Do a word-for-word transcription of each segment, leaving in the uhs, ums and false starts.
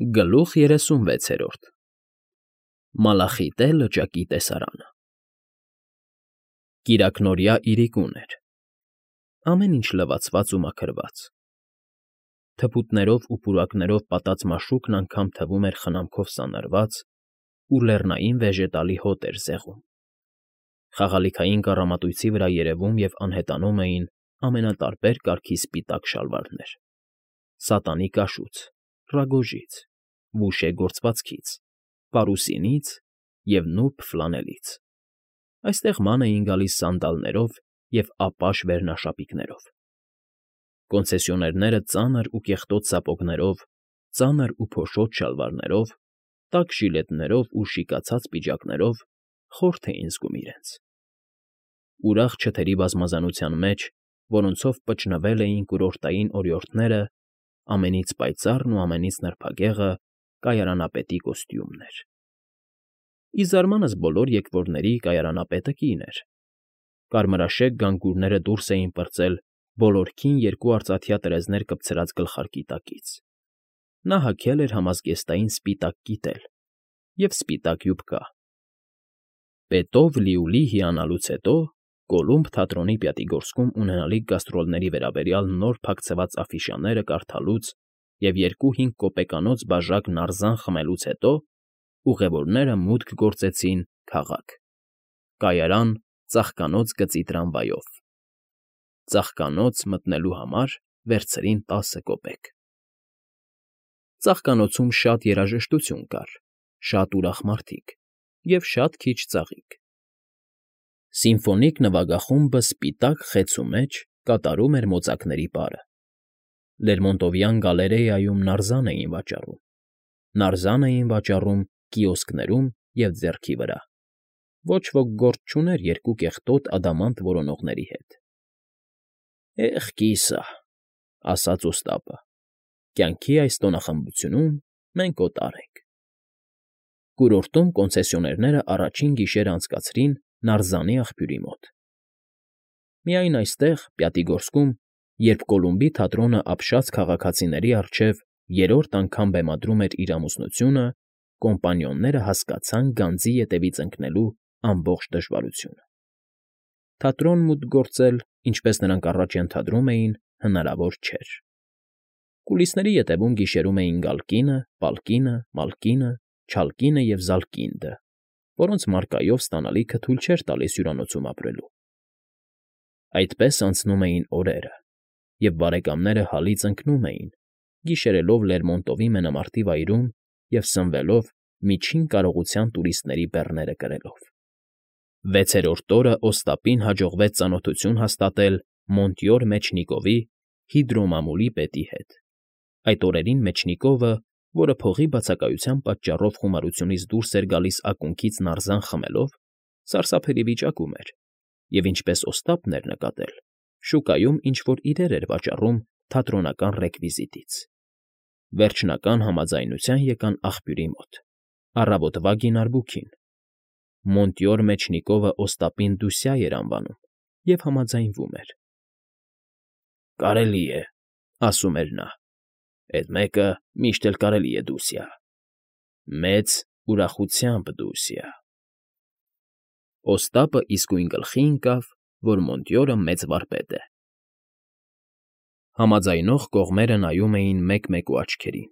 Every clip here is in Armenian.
Գլուխ երեսունվեցերորդ Մալախիտե լճակի տեսարանը Կիրակնօրյա իրիկուն էր, ամեն ինչ լվացված ու մաքրված, թփուտներով ու պուրակներով պատած մաշուկն անգամ թվում էր խնամքով սանրված ու լեռնային վեժետալի հոտ էր զեղում, խաղալիքային կառամատույցի վրա երևում և անհետանում էին ամենատարբեր կարգի սպիտակ շալվարներ, սատանի կաշուց, ռագոժից, վուշե գործվածքից, պարուսինից և նուրբ ֆլանելից, այստեղ ման էին գալիս սանդալներով և ապաշ վերնաշապիկներով, կոնցեսիոներները ծանր ու կեղտոտ սապոգներով, ծանր ու փոշոտ շալվարներով, տաք ժիլետներով ու շիկացած պիջակներով խորթ էին զգում իրենց, ուրախ չթերի բազմազանության մեջ, որոնցով պճնվել էին կուրորտային օրիորդները, ամենից պայծառն ու ամենից նրբագեղը կայարանապետի կոստյումն էր, ի զարմանս բոլոր եկվորների կայարանապետը կին էր, կարմրաշեկ գանգուրները դուրս էին պրծել բոլորքին երկու արծաթյա տրեզներ կպցրած գլխարկի տակից, նա հագել էր համազգեստային սպիտակ կիտել և սպիտակ յուբկա, պետով լիուլի հիանալուց հետո Կոլումբ թատրոնի պյատիգորսկում ունենալիք գաստրոլների վերաբերյալ նոր փակցված աֆիշաները կարդալուց և երկու֊հինգ կոպեկանոց բաժակ նարզան խմելուց հետո ուղևորները մուտք գործեցին քաղաք, կայարան ծաղկանոց գծի տրամվայով, ծաղկանոց մտնելու համար վերցրին տասը կոպեկ, ծաղկանոցում շատ երաժշտություն կար, շատ ուրախ մարդիկ և շատ քիչ ծաղիկ, սիմֆոնիկ նվագախումբը սպիտակ խեցու մեջ կատարում էր մոծակների պարը, Լերմոնտովյան գալերեայում նարզան էին վաճառում, նարզան էին վաճառում կիոսկներում և ձեռքի վրա, ոչ ոք գործ չուներ երկու կեղտոտ ադամանտ որոնողների հետ։ ֊ Էխ կիսա,֊ ասաց օստապը,֊ կյանքի այս տոնախմբությունում մենք օտար ենք… Կուրորտում կոնցեսիոներները առաջին գիշերն անցկացրին նարզանի աղբյուրի մոտ։ Միայն այստեղ, Պյատիգորսկում, երբ Կոլումբի թատրոնը ապշած քաղաքացիների առջև երրորդ անգամ բեմադրում էր իր ամուսնությունը, կոմպանիոնները հասկացան գանձի ետևից ընկնելու ամբողջ դժվարությունը. թատրոն մուտք գործել, ինչպես նրանք առաջ ենթադրում էին, հնարավոր չէր. կուլիսների ետևում գիշերում էին Գալկինը, Պալկինը, Մալկինը, Չալկինը և Զալկինդը, որոնց մարկայով ստանալիքը թույլ չէր տալիս հյուրանոցում ապրելու։ Այդպես անցնում էին օրերը, և բարեկամները հալից ընկնում էին, գիշերելով Լերմոնտովի մենամարտի վայրում և սնվելով միջին կարողության տուրիստների բեռները կրելով։ Վեցերորդ օրը օստապին հաջողվեց ծանոթություն հաստատել Մոնտյոր Մեջնիկովի հիդրոմամուլի պետի հետ։ Այդ օրերին Մեջնիկովը, որը փողի բացակայության պատճառով խոմարությունից դուրս էր գալիս ակունքից նարզան խմելով, սարսափելի վիճակում էր և, ինչպես Օստապն էր նկատել, շուկայում ինչ֊որ իրեր էր վաճառում թատրոնական ռեկվիզիտից։ Վերջնական համաձայնության եկան աղբյուրի մոտ, առավոտվա գինարբուքին։ Մոնտյոր Մեջնիկովը Օստապին Դուսյա էր անվանում և համաձայնվում էր։ ֊ Կարելի է,֊ ասում էր նա,֊ էդ մեկը միշտ էլ կարելի է Դուսյա… Մեծ ուրախությամբ Դուսյա… Օստապը իսկույն գլխի ընկավ, որ Մոնտյորը մեծ վարպետ է։ Համաձայնող կողմերը նայում էին մեկ֊մեկու աչքերին,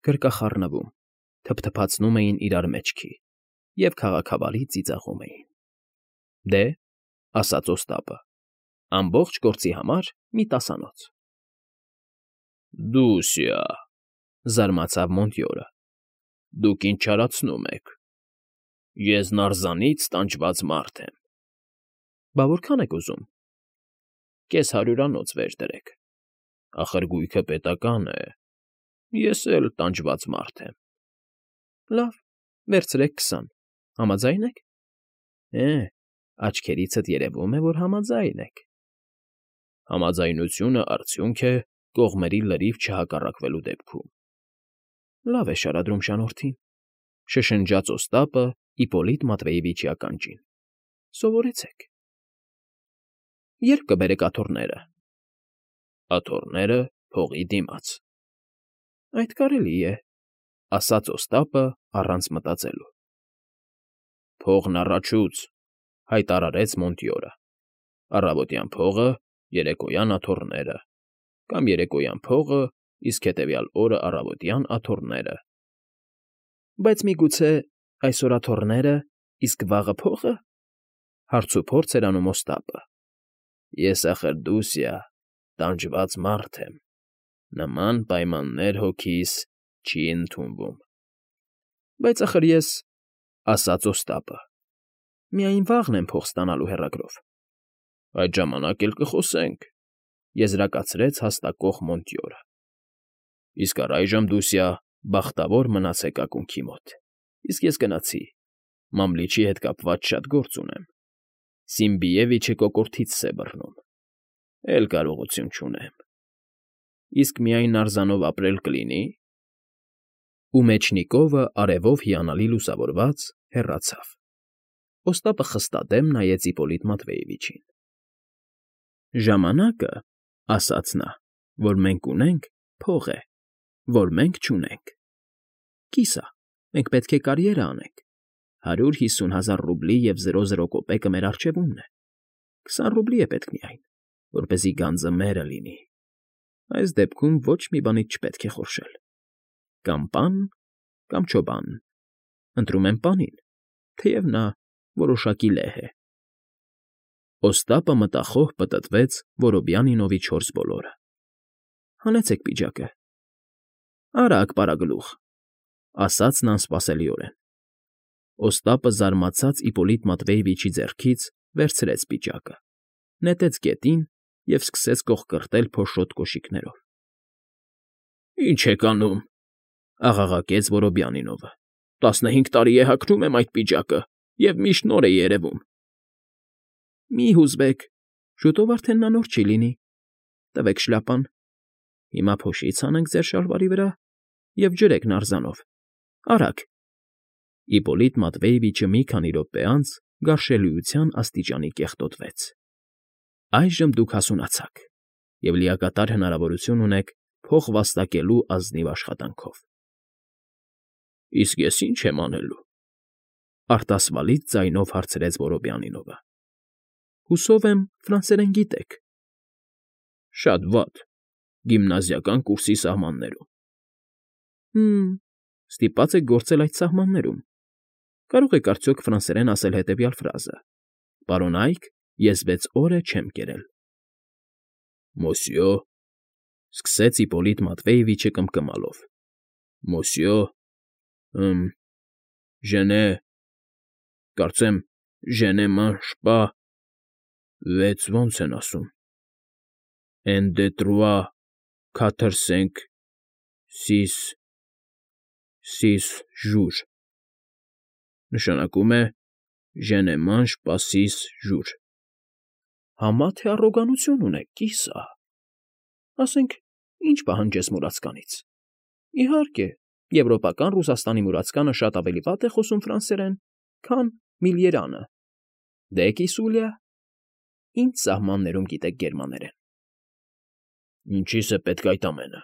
գրկախառնվում, թփթփացնում էին իրար մեջքի և քաղաքավարի ծիծաղում էին։ ֊ Դե,֊ ասաց Օստապը,֊ ամբողջ գործի համար մի տասանոց։ ֊ Դուսյա,֊ զարմացավ Մոնտյորը,֊ դուք ինչ չարացնում եք… Ես նարզանից տանջված մարդ եմ։ ֊ Բա որքան եք ուզում։ ֊ Կես հարյուրանոց վեր դրեք… Ախր գույքը պետական է, ես էլ տանջված մարդ եմ։ ֊ Լավ, վերցրեք քսան… Համաձա՞յն եք։ ֊ Էէ, աչքերիցդ երևում է, որ համաձայն եք։ ֊ Համաձայնությունը արդյունք է կողմերի լրիվ չհակառակվելու դեպքում։ ֊ Լավ է, շարադրում շանորդին,֊ շշնջաց Օստապը Իպոլիտ Մատվեևիչի ականջին,֊ սովորեցեք։ ֊ Ե՞րբ կբերեք աթոռները։ ֊ Աթոռները՝ փողի դիմաց։ ֊ Այդ կարելի է։ ասաց Օստապը առանց մտածելու։ Փողն առաջուց, հայտարարեց Մոնտյորը։ Առավոտյան փողը, երեկոյան աթոռները, կամ երեկոյան փողը, իսկ հետևյալ օրը առավոտյան աթոռները։ Բայց միգուցե այսօր աթոռները, իսկ վաղը փողը, հարցուփորձ էր անում Օստապը։ Ես ախր Դուսիա, տանջված մարդ եմ, նման պայմաններ հոգիս չի ընդունվում։ Բայց ախր ես, ասաց Օստապը, միայն վաղն եմ փող ստանալու հեռագրով։ Այդ ժամանակ էլ կխոսենք, եզրակացրեց հաստակող Մոնտյորը։ Իսկ առայժմ, Դուսիա, բախտավոր մնացեք ակունքի մոտ, իսկ ես գնացի, Մամլիչի հետ կապված շատ գործ ունեմ։ Սիմբիևիչը կոկորդիցս է բռնում, էլ կարողություն չունեմ։ Իսկ միայն արձանով ապրել կլինի։ Ու Մեջնիկովը, արևով հիանալի լուսավորված, հեռացավ։ Օստապը խստադեմ նայեց Իպոլիտ Մատվեևիչին։ Ժամանակը, ասաց նա, որ մենք ունենք, փող է, որ մենք չունենք։ Կիսա, մենք պետք է կարիերա անենք։ Հարյուր հիսուն հազար ռուբլի և զրո զրո կոպեկը մեր առջևումն է։ Քսան ռուբլի է պետք միայն, որպեսզի գանձը մերը լինի։ Այս դեպքում ոչ մի բանից չպետք է խորշել։ Կամ պան, կամ չոբան։ Ընտրում եմ պանին, թեև նա որոշակի լեհ է։ Օստապը մտախոհ պտտվեց Որոբյանինովի չորս բոլորը։ Հանեցեք պիջակը։ Արագ, պարագլուխ, ասաց նա անսպասելիորեն։ Օստապը զարմացած Իպոլիտ Մատվեևիչի ձեռքից վերցրեց պիջակը, նետեց գետին և սկսեց կոխկրտել փոշոտ կոշիկներով։ Ինչ եք անում, աղաղակեց Որոբյանինովը։ Տասնհինգ տարի է հագնում եմ այդ պիջակը և միշտ նոր է երևում։ Մի հուզվեք, շուտով արդեն նա նոր չի լինի։ Տվեք շլապան։ Հիմա փոշից հանենք ձեր շալվարի վրա և ջրեք նարձանով։ Արագ։ Իպոլիտ Մատվեևիչը մի քանի րոպե անց գարշելիության աստիճանի կեղտոտվեց։ Այժմ դուք հասունացաք և լիակատար հնարավորություն ունեք փող վաստակելու ազնիվ աշխատանքով։ Իսկ ես ի՞նչ եմ անելու, արտասվալից ձայնով հարցրեց Որոբյանինովը։ Հուսով եմ, ֆրանսերեն գիտեք։ Շատ վատ, գիմնազիական կուրսի սահմաններում։ Հը՛մ, ստիպված եք գործել այդ սահմաններում։ Կարող եք արդյոք ֆրանսերեն ասել հետևյալ ֆրազը. «Պարոն Այք, ես վեց օր է չեմ կերել»։ Մոսյո, սկսեց Իպոլիտ Մատվեևիչը կմկմալով։ Մոսյո, ըմ, ժենե, կարծեմ, ժենե ման շպա, վեց ոնց են ասում։ Էն դե տրուա, քաթր սենք, սիս, սիս ժուր։ Նշանակում է ժենե ման շպա սիս ժուր։ Համա թե առոգանություն ունեք, կիսա։ Ասենք, ինչ պահանջես մուրացկանից։ Իհարկե, եվրոպական Ռուսաստանի մուրացկանը շատ ավելի վատ է խոսում ֆրանսերեն, քան միլիերանը։ Դե, կիսուլյա, ինչ սահմաններում գիտեք գերմաներեն։ Ինչիս է պետք այդ ամենը,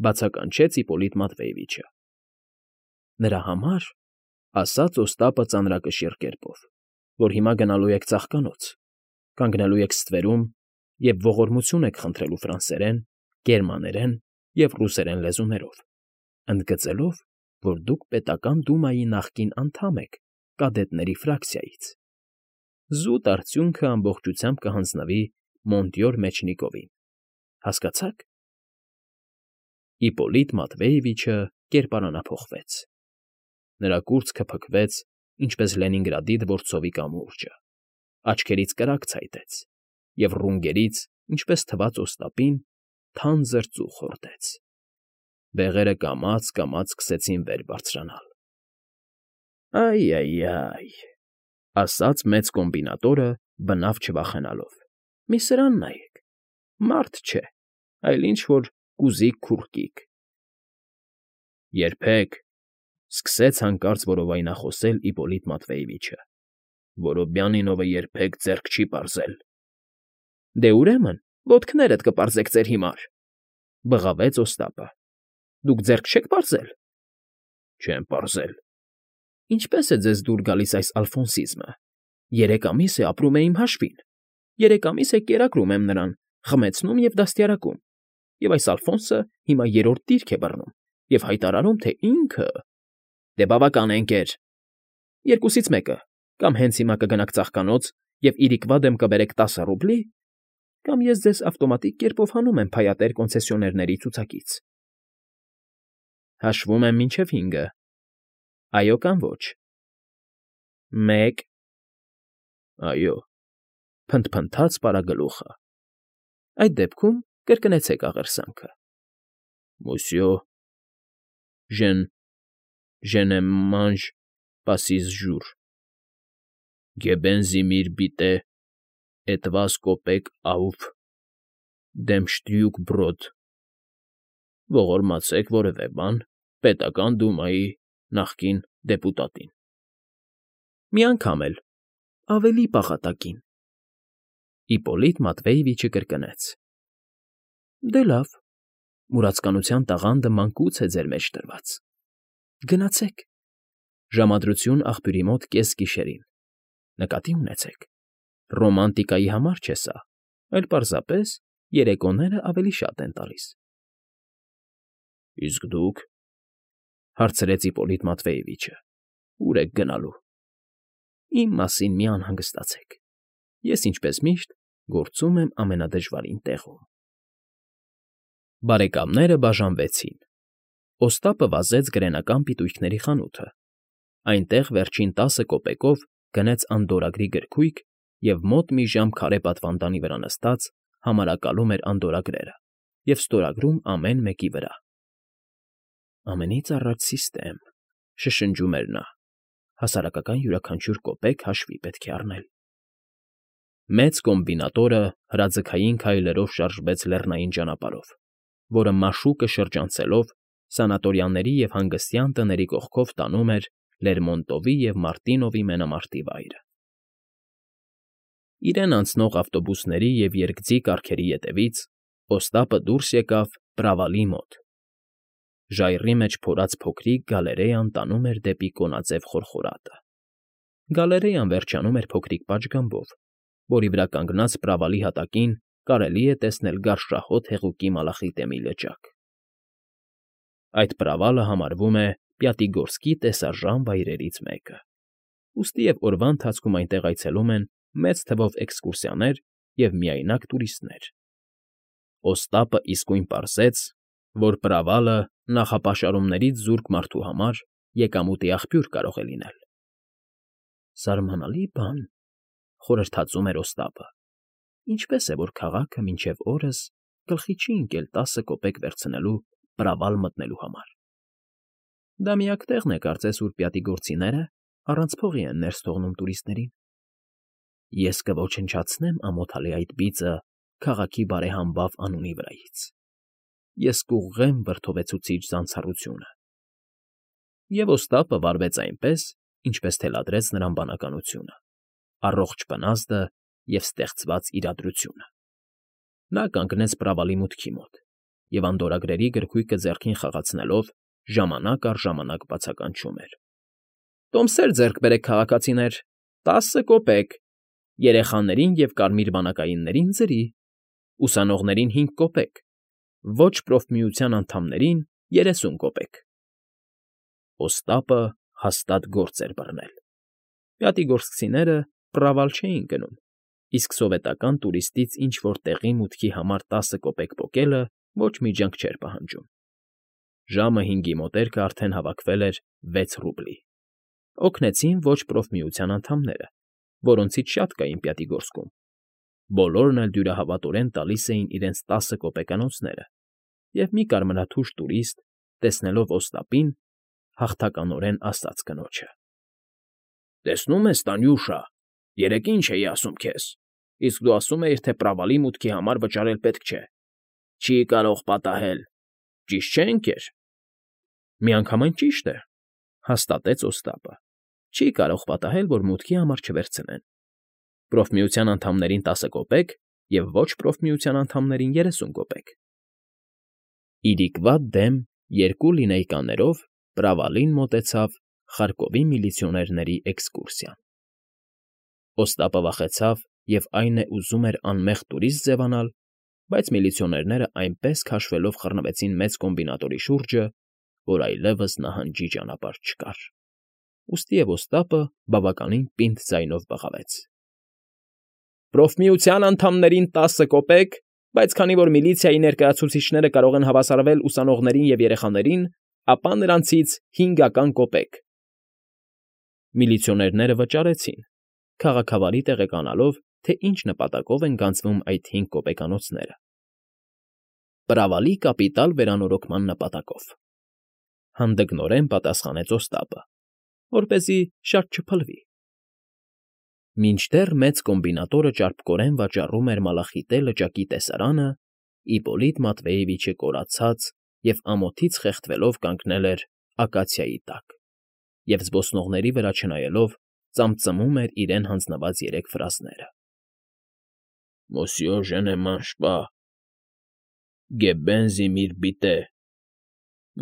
բացականչեց Իպոլիտ Մատվեևիչը։ Նրա համար, ասաց Օստապը ծանրակշիռ կերպով, որ հիմա գնալու եք ծաղկանոց, կանգնելու եք ստվերում և ողորմություն եք խնդրելու ֆրանսերեն, գերմաներեն և ռուսերեն լեզուներով, ընդգծելով, որ դուք պետական դումայի նախկին անդամ եք կադետների ֆրակցիայից։ Զուտ արդյունքը ամբողջությամբ կհանձնվի Մոնտյոր Մեջնիկովին, հասկացա՞ք։ Իպոլիտ Մատվեևիչը կերպարանափոխվեց։ Նրա կուրծքը փքվեց, ինչպես Լենինգրադի դվորցովի կամուրջը, աչքերից կրակ ցայտեց և ռունգերից, ինչպես թվաց Օստապին, թանձր ծուխ հորդեց։ Բեղերը կամաց֊կամաց սկսեցին վեր բարձրանալ։ Այ֊այ֊այ, ասաց մեծ կոմբինատորը, բնավ չվախենալով։ Մի սրան նայեք, մարդ չէ, այլ ինչ֊որ կուզիկ քուռկիկ։ Երբեք, սկսեց հանկարծ որովայնախոսել Իպոլիտ Մատվեևիչը, Որոբյանինովը երբեք ձեռք չի պարզել։ Դե ուրեմն, ոտքներդ կպարզեք ձեր հիմար, բղավեց Օստապը։ Դուք ձեռք չեք պարզել։ Չեմ պարզել։ Ինչպե՞ս է ձեզ դուր գալիս այս ալֆոնսիզմը։ Երեք ամիս է ապրում է իմ հաշվին, երեք ամիս է կերակրում եմ նրան, խմեցնում և դաստիարակում, և այս Ալֆոնսը հիմա երրորդ դիրք է բռնում և հայտարարում, թե ինքը… Դե բավական է, ընկեր, երկուսից մեկը, կամ հենց հիմա կգնաք ծաղկանոց և իրիկվա դեմ կբերեք տասը ռուբլի, կամ ես ձեզ ավտոմատիկ կերպով հանում եմ փայատեր կոնցեսիոներների ցուցակից։ Հաշվում եմ մինչև հինգը, այո կամ ոչ։ Մեկ… Այո, Փնթփնթաց պարագլուխը։ Այդ դեպքում կրկնեցեք աղերսանքը։ Մոսյո, je je ne mange pas six jours. Geben Sie mir bitte etwas Kopek auf dem Stückbrot. Ողորմացեք որևէ բան պետական դումայի նախկին դեպուտատին։ Մի անգամ էլ, ավելի պաղատակին։ Իպոլիտ Մատվեյևիչը կրկնեց. Դե լավ, մուրացկանության տաղանդը մանկուց է ձեր մեջ դրված։ Գնացեք։ Ժամադրություն աղբյուրի մոտ կեսգիշերին։ Նկատի ունեցեք, ռոմանտիկայի համար չէ սա, այլ պարզապես երեկոները ավելի շատ են տալիս։ Իսկ դուք, հարցրեց Իպոլիտ Մատվեյևիչը, ո՞ւր եք գնալու։ Իմ մասին մի անհանգստացեք։ Ես, ինչպես միշտ, գործում եմ ամենադժվարին տեղում։ Բարեկամները բաժանվեցին։ Օստապը վազեց գրենական պիտույքների խանութը։ Այնտեղ վերջին տասը կոպեկով գնեց անդորրագրի գրքույկ և մոտ մի ժամ քարե պատվանդանի վրա նստած համարակալում էր անդորրագրերը և ստորագրում ամեն մեկի վրա։ Ամենից առաջ սիստեմ, շշնջում էր նա, հասարակական յուրաքանչյուր կոպեկ հաշվի պետք է առնել։ Մեծ կոմբինատորը հրաձգային քայլերով շարժվեց լեռնային ճանապարհով, որը մաշուկը շրջանցելով սանատորիաների և հանգստյան տների կողքով տանում էր Լերմոնտովի և Մարտինովի մենամարտի վայրը։ Իրեն անցնող ավտոբուսների և երկձի կառքերի ետևից Օստապը դուրս եկավ Պրավալի մոտ։ Ժայռի մեջ փորած փոքրիկ գալերեան տանում էր դեպի կոնաձև խորխորատը։ Գալերեան վերջանում էր փոքրիկ պատշգամբով, որի վրա կանգնած Պրավալի հատակին կարելի է տեսնել գարշահոտ հեղուկի մալախիտեմի լճակ։ Այդ Պրավալը համարվում է Պյատիգորսկի տեսարժան վայրերից մեկը, ուստի և օրվա ընթացքում այնտեղ այցելում են մեծ թվով էքսկուրսիաներ և միայնակ տուրիստներ։ Օստապը իսկույն պարզեց, որ Պրավալը նախապաշարումներից զուրկ մարդու համար եկամուտի աղբյուր կարող է լինել։ Զարմանալի բան, խորհրդածում էր Օստապը, ինչպես է, որ քաղաքը մինչև օրս գլխի չի ընկել տասը կոպեկ վերցնելու Պրավալ մտնելու համար։ Դա միակ տեղն է, կարծես, ուր պյատիգորցիները առանց փողի են ներս թողնում տուրիստներին։ Ես կոչնչացնեմ ամոթալի այդ բիծը քաղաքի բարեհամբավ անունի վրայից։ Ես կուղղեմ վրդովեցուցիչ զանցառությունը։ Եվ Օստապը վարվեց այնպես, ինչպես թելադրեց նրան բանականությունը, առողջ պնազդը և ստեղծված իրադրությունը։ Նա կանգնեց Պրավալի մուտքի մոտ և անդորրագրերի գրքույկը ձեռքին խաղացնելով ժամանակ առ ժամանակ բացականչում էր. Տոմսեր ձեռք բերեք, քաղաքացիներ, տասը կոպեկ, երեխաներին և կարմիր բանակայիններին՝ ձրի, ուսանողներին հինգ կոպեկ, ոչ պրոֆմիության անդամներին՝ երեսուն կոպեկ։ Օստապը հաստատ գործ էր բռնել։ Պյատիգորսկցիները Պրավալ չէին գնում, իսկ սովետական տուրիստից ինչ֊որ տեղի մուտքի համար տասը կոպեկ պոկելը ոչ մի ջանք չէր պահանջում։ Ժամը հինգի մոտերքը արդեն հավաքվել էր վեց ռուբլի։ Օգնեցին ոչ պրոֆմիության անդամները, որոնցից շատ կային Պյատիգորսկում։ Բոլորն էլ դյուրահավատորեն տալիս էին իրենց տասը կոպեկանոցները, և մի կարմրաթուշ տուրիստ, տեսնելով Օստապին, հաղթականորեն ասաց կնոջը. Տեսնում ես, Տանյուշա, երեկ ինչ էի ասում քեզ, իսկ դու ասում էիր, թե Պրավալի մուտքի համար վճարել պետք չէ։ Չի կարող պատահել, ճիշտ չէ՞, ընկեր։ Միանգամայն ճիշտ է, հաստատեց Օստապը։ Չի կարող պատահել, որ մուտքի համար չվերցնեն։ Պրոֆմիության անդամներին տասը կոպեկ և ոչ պրոֆմիության անդամներին երեսուն կոպեկ։ Իրիկվա դեմ երկու լինեյկաներով Պրավալին մոտեցավ Խարկովի միլիցիոներների էքսկուրսիան։ Օստապը վախեցավ և, այն է, ուզում էր անմեղ տուրիստ ձևանալ, բայց միլիցիոներները այնպես քաշվելով խռնվեցին մեծ կոմբինատորի շուրջը, որ այլևս նահանջի ճանապարհ չկար, ուստիև Օստապը բավականին պինդ ձայնով բղավեց. ֊ Պրոֆմիության անդամներին տասը կոպեկ, բայց քանի որ միլիցիայի ներկայացուցիչները կարող են հավասարվել ուսանողներին և երեխաներին, ապա նրանցից հինգական կոպեկ… Միլիցիոներները վճարեցին, քաղաքավարի տեղեկանալով, թե ինչ նպատակով են գանձվում այդ հինգ կոպեկանոցները։ Պրավալի կապիտալ վերանորոգման նպատակով,֊ հանդգնորեն պատասխանեց Օստապը, որպեսզի շատ չփլվի։ Մինչդեռ մեծ կոմբինատորը ճարպկորեն վաճառում էր մալախիտե լճակի տեսարանը, Իպպոլիտ Մատվեևիչը կորացած և ամոթից խեղդվելով կանգնել էր ակացիայի տակ և, զբոսնողների վրա չնայելով, ծամծմում էր իրեն հանձնված երեք ֆրազները. «Մոսյո Ժենեմանշպա, Գեբբենզի միր բիտե,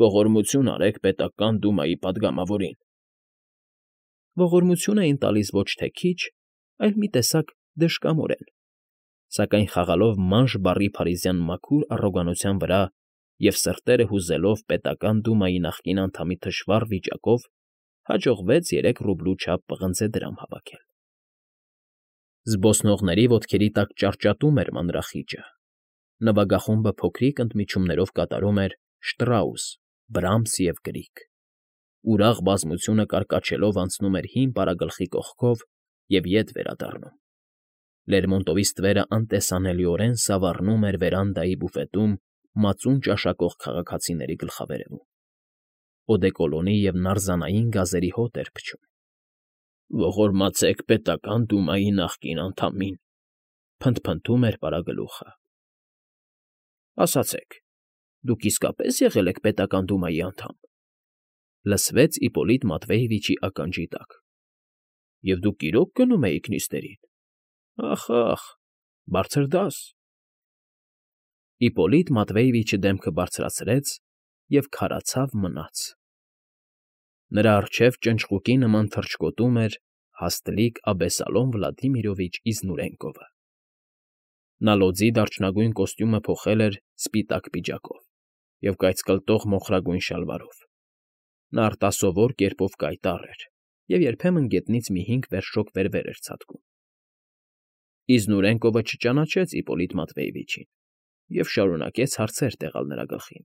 ողորմություն արեք պետական դումայի պատգամավորին»։ Ողորմություն էին տալիս ոչ թե քիչ, այլ մի տեսակ դժկամորեն, սակայն խաղալով մանժ բառի փարիզյան մաքուր առոգանության վրա և սրտերը հուզելով պետական դումայի նախկին անդամի թշվառ վիճակով, հաջողվեց երեք ռուբլու չափ պղնձե դրամ հավաքել։ Զբոսնողների ոտքերի տակ ճարճատում էր մանրախիճը, նվագախումբը փոքրիկ ընդմիջումներով կատարում էր Շտրաուս, Բրամս և Գրիգ, ուրախ բազմությունը կարկաչելով անցնում էր հին պարագլխի կողքով և ետ վերադառնում։ Լերմոնտովի ստվերը անտեսանելիորեն սավառնում էր վերանդայի բուֆետում մածուն ճաշակող քաղաքացիների գլխավերևում, օդեկոլոնի և նարզանային գազերի հոտ էր փչում։ «Ողորմացեք պետական դումայի նախկին անդամին», փնթփնթում էր պարագլուխը։ «Ասացեք, դուք իսկապե՞ս եղել եք պետական դումայի անդամ», լսվեց Իպպոլիտ Մատվեևիչի ականջի տակ։ «Եվ դուք իրո՞ք գնում էիք նիստերին։ Ախ, բարձր դաս»։ Իպպոլիտ Մատվեևիչը դեմքը բարձրացրեց և քարացավ մնաց։ Նրա առջև ճնճղուկի նման թռչկոտում էր հաստլիկ Աբեսալոմ Վլադիմիրովիչ Իզնուրենկովը։ Նա լոձի դարչնագույն կոստյումը փոխել էր սպիտակ պիջակով և կայծկլտող մոխրագույն շալվարով։ Նա արտասովոր կերպով կայտառ էր և երբեմն գետնից մի հինգ վերշոկ վեր֊վեր էր ցատկում։ Իզնուրենկովը չճանաչեց Իպպոլիտ Մատվեևիչին և շարունակեց հարցեր տեղալ նրա գլխին.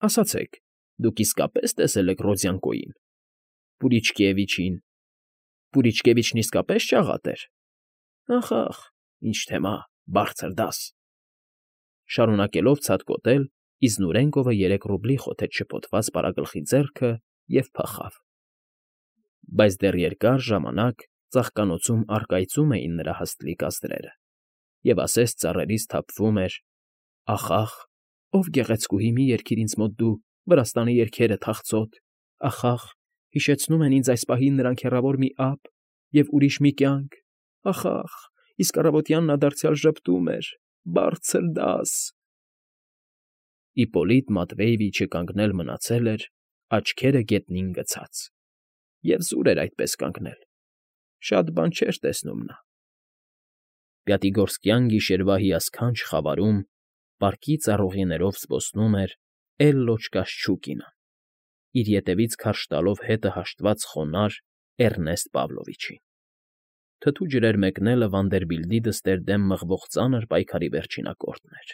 «Ասացեք, դուք իսկապե՞ս տեսել եք Ռոձյանկոյին, Պուրիչկևիչին… Պուրիչկևիչն իսկապե՞ս ճաղատ էր։ Ախ, ինչ թեմա, բարձր դաս»։ Շարունակելով ցատկոտել, Իզնուրենկովը երեք ռուբլի խոթեց շփոթված պարագլխի ձեռքը և փախավ։ Բայց դեռ երկար ժամանակ ծաղկանոցում առկայծում էին նրա հաստլիկ ազդրերը, և ասես ծառերից թափվում էր. «Ախ, ով գեղեցկուհի, մի երգիր ինձ մոտ դու Վրաստանի երգերը թախծոտ, ախ, հիշեցնում են ինձ այս պահին նրանք հեռավոր մի ափ և ուրիշ մի կյանք, ախ, իսկ առավոտյան նա դարձյալ ժպտում էր, բարձր դաս»։ Իպպոլիտ Մատվեևիչը կանգնել մնացել էր, աչքերը գետնին գցած, և զուր էր այդպես կանգնել, շատ բան չէր տեսնում նա։ Պյատիգորսկյան գիշերվա հիասքանչ խավարում պարկի ծառուղիներով զբոսնում էր Էլլոչկա Շչուկինը, իր ետևից քարշ տալով հետը հաշտված խոնարհ Էռնեստ Պավլովիչին։ Թթու ջրեր մեկնելը Վանդերբիլտի դստեր դեմ մղվող ծանր պայքարի վերջին ակորդն էր։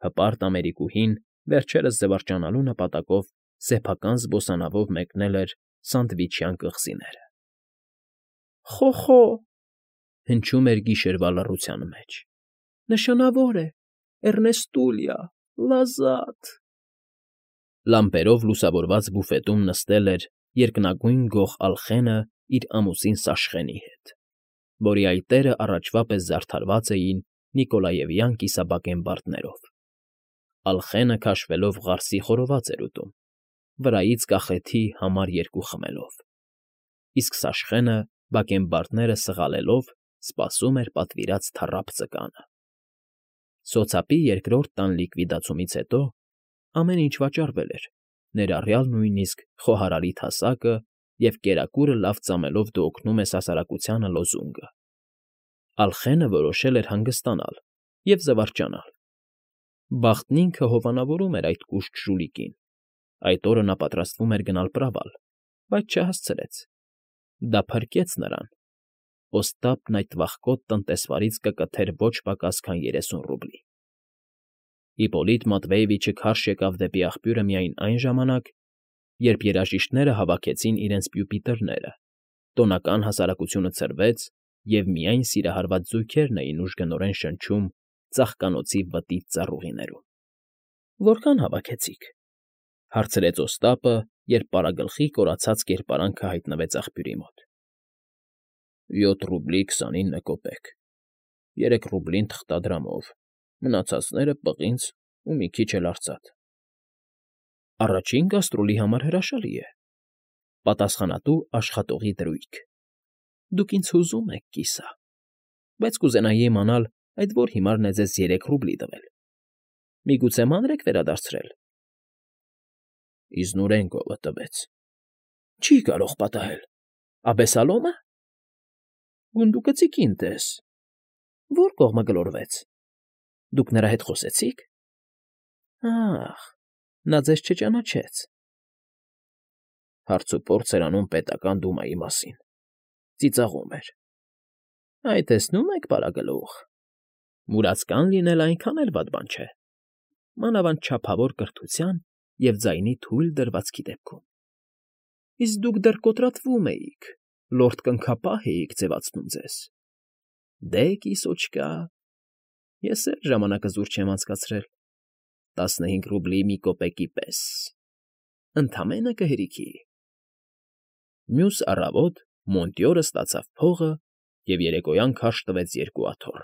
Հպարտ ամերիկուհին վերջերս զվարճանալու նպատակով սեփական զբոսանավով մեկնել էր Սանդվիչյան կղզիները։ «Խո՜խո՜», հնչում էր գիշերվա լռության մեջ, «նշանավոր է, Էռնեստուլիա, լազատ»։ Լամպերով լուսավորված բուֆետում նստել էր երկնագույն գող Ալխենը իր ամուսին Սաշխենի հետ, որի այտերը առաջվա պես զարդարված էին նիկոլաևյան կիսաբակենբարդներով։ Ալխենը քաշվելով ғարսի խորոված էր ուտում, վրայից կախեթի համար երկու խմելով, իսկ Սաշխենը, բակենբարդները սղալելով, սպասում էր պատվիրած թառափ ձկանը։ Սոցապի երկրորդ տան լիկվիդացումից հետո ամեն ինչ վաճառվել էր, ներառյալ նույնիսկ խոհարարի թասակը և կերակուրը լավ ծամելով դու օգնում ես հասարակությանը լոզունգը, Ալխենը որոշել էր հանգստանալ և զվարճանալ։ Բախտն ինքը հովանավորում էր այդ կուշտ ժուլիկին, այդ օրը նա պատրաստվում էր գնալ պրավալ, բայց չհասցրեց. դա փրկեց նրան. Օստապն այդ վախկոտ տնտեսվարից կկթեր ոչ պակաս քան երեսուն ռուբլի։ Հիպոլիտ Մատվեևիչը քարշ եկավ դեպի աղբյուրը միայն այն ժամանակ, երբ երաժիշտները հավաքեցին իրենց պյուպիտրները, տոնական հասարակությունը ցրվեց, և միայն սիրահարված զույգերն էին ուժգնորեն շնչում ծաղկանոցի վտիտ ծառուղիներում։ ֊ Որքան հավաքեցիք,֊ հարցրեց Օստապը, երբ պարագլխի կորացած կերպարանքը հայտնվեց աղբյուրի մոտ։ ֊ Յոթ ռուբլի քսանինը կոպեկ, երեք ռուբլին թղթադրամով, մնացածները՝ պղինձ ու մի քիչ էլ արծաթ։ ֊ Առաջին գաստրոլի համար հրաշալի է,֊ պատասխանատու աշխատողի դրույք։ ֊ Դուք ինձ հուզում եք, կիսա, բայց կուզենայի իմանալ, այդ որ հիմարն է ձեզ երեք ռուբլի տվել. միգուցե մանր եք վերադարձրել։ ֊ Իզնուրենկովը տվեց։ ֊ Չի կարող պատահել։ Աբեսալո՞մը։ ֊ Գունդուկցիկին տես։ ֊ Ո՞ր կողմը գլորվեց։ ֊ Դուք նրա հետ խոսեցի՞ք։ ֊ Ա՜խ, նա ձեզ չճանաչեց։ Հարցուփորձ էր անում պետական դումայի մասին, ծիծաղում էր։ ֊ Այ, տեսնում եք, Բարագլուխ, մուրացկան լինելն այնքան էլ վատ բան չէ, մանավանդ չափավոր կրթության և ձայնի թույլ դրվածքի դեպքում։ Իսկ դուք դեռ կոտրատվում էիք, լորդ կնքապահ էիք ձևացնում ձեզ։ Դե, կիսոչկա, ես էլ ժամանակը զուր չեմ անցկացրել, տասնհինգ ռուբլի մի կոպեկի պես, ընդամենը կհերիքի։ Մյուս առավոտ Մոնտյորը ստացավ փողը և երեկոյան քարշ տվեց երկու աթոռ.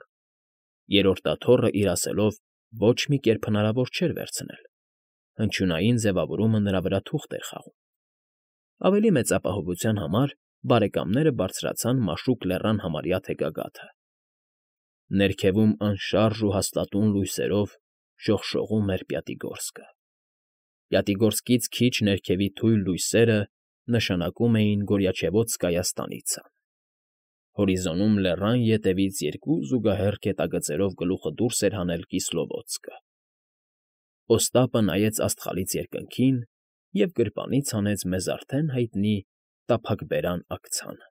երրորդ աթոռը իր ասելով ոչ մի կերպ հնարավոր չէր վերցնել, հնչյունային ձևավորումը նրա վրա թուղթ էր խաղում։ Ավելի մեծ ապահովության համար բարեկամները բարձրացան մաշուկ լեռան համարյա թեքագաթը։ Ներքևում անշարժ ու հաստատուն լույսերով շողշողում էր Պյատիգորսկը։ Պյատիգորսկից քիչ ներքևի թույլ լույսերը նշանակում էին Գորյաչևոցկայա ստանիցան։ Հորիզոնում լեռան ետևից երկու զուգահեռ գետագծերով գլուխը դուրս էր հանել Կիսլովոդսկը։ Օստապը նայեց աստղալից երկնքին և գրպանից հանեց մեզ արդեն հայտնի տափակբերան աքցանը։